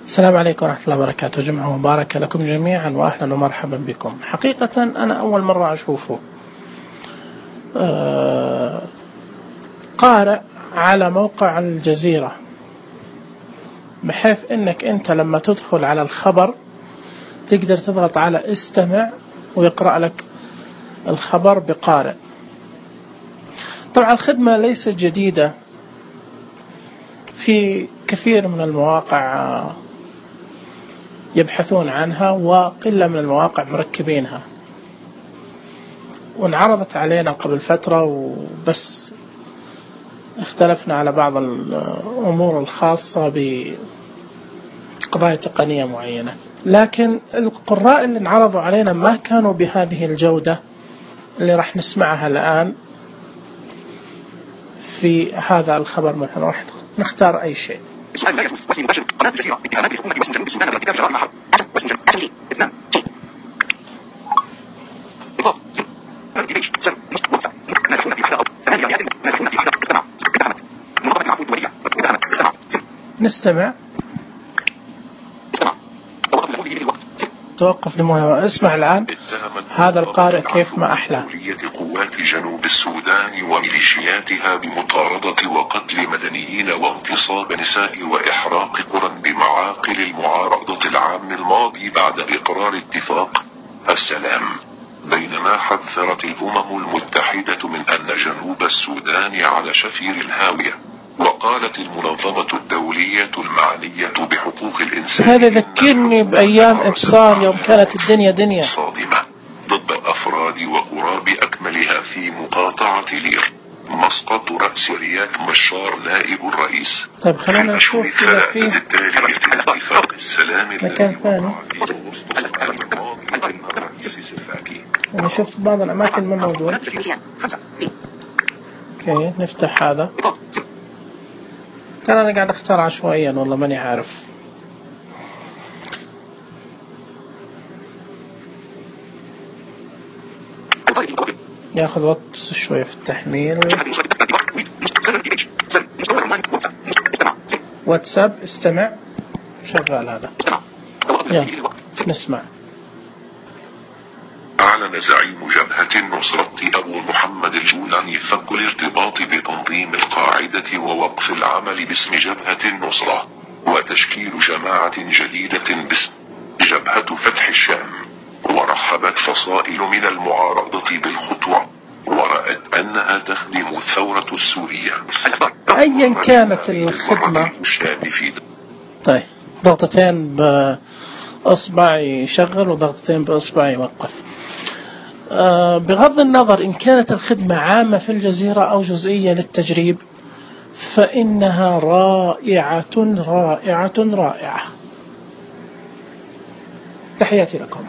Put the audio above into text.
السلام عليكم ورحمة الله وبركاته. جمعة مباركة لكم جميعا وأهلا ومرحبا بكم. حقيقة أنا أول مرة أشوفه قارئ على موقع الجزيرة، بحيث أنك أنت لما تدخل على الخبر تقدر تضغط على استمع ويقرأ لك الخبر بقارئ. طبعا الخدمة ليست جديدة، في كثير من المواقع يبحثون عنها وقلة من المواقع مركبينها، وانعرضت علينا قبل فترة وبس اختلفنا على بعض الأمور الخاصة بقضايا تقنية معينة، لكن القراء اللي انعرضوا علينا ما كانوا بهذه الجودة اللي راح نسمعها الآن في هذا الخبر. مثلا راح نختار أي شيء. نستمع. توقف لمهمة. اسمع الآن هذا القارئ كيف ما أحلى. قوات جنوب السودان وميليشياتها بمطاردة وقتل مدنيين واغتصاب نساء وإحراق قرى بمعاقل المعارضة العام الماضي بعد إقرار اتفاق السلام، بينما حذرت الأمم المتحدة من أن جنوب السودان على شفير الهاوية. وقالت المنظمة الدولية المعنية بحقوق الإنسان هذا ذكرني بأيام إبصار يوم كانت الدنيا دنيا صادمة ضد الأفراد وقرى بأكملها في مقاطعة لير. مسقط رأس رياك مشار نائب الرئيس. طيب خلينا نشوف إذا في اتفاق السلام مكان ثاني. أنا شفت بعض الأماكن ما موجود. أوكي نفتح هذا. ترى أنا قاعد أختار عشوائيا والله ماني عارف. ياخذ وقت شوية في التحميل. واتساب استمع شغال هذا. يلا نسمع. أعلن زعيم جبهة النصرة أبو محمد الجولاني فك الارتباط بتنظيم القاعدة ووقف العمل باسم جبهة النصرة وتشكيل جماعة جديدة باسم جبهة فتح الشام. ورحبت فصائل من المعارضة بالخطوة ورأت أنها تخدم الثورة السورية أيا كانت الخدمة. طيب ضغطتين بأصبع يشغل وضغطتين بأصبع يوقف. بغض النظر إن كانت الخدمة عامة في الجزيرة أو جزئية للتجريب، فإنها رائعة رائعة رائعة. تحياتي لكم.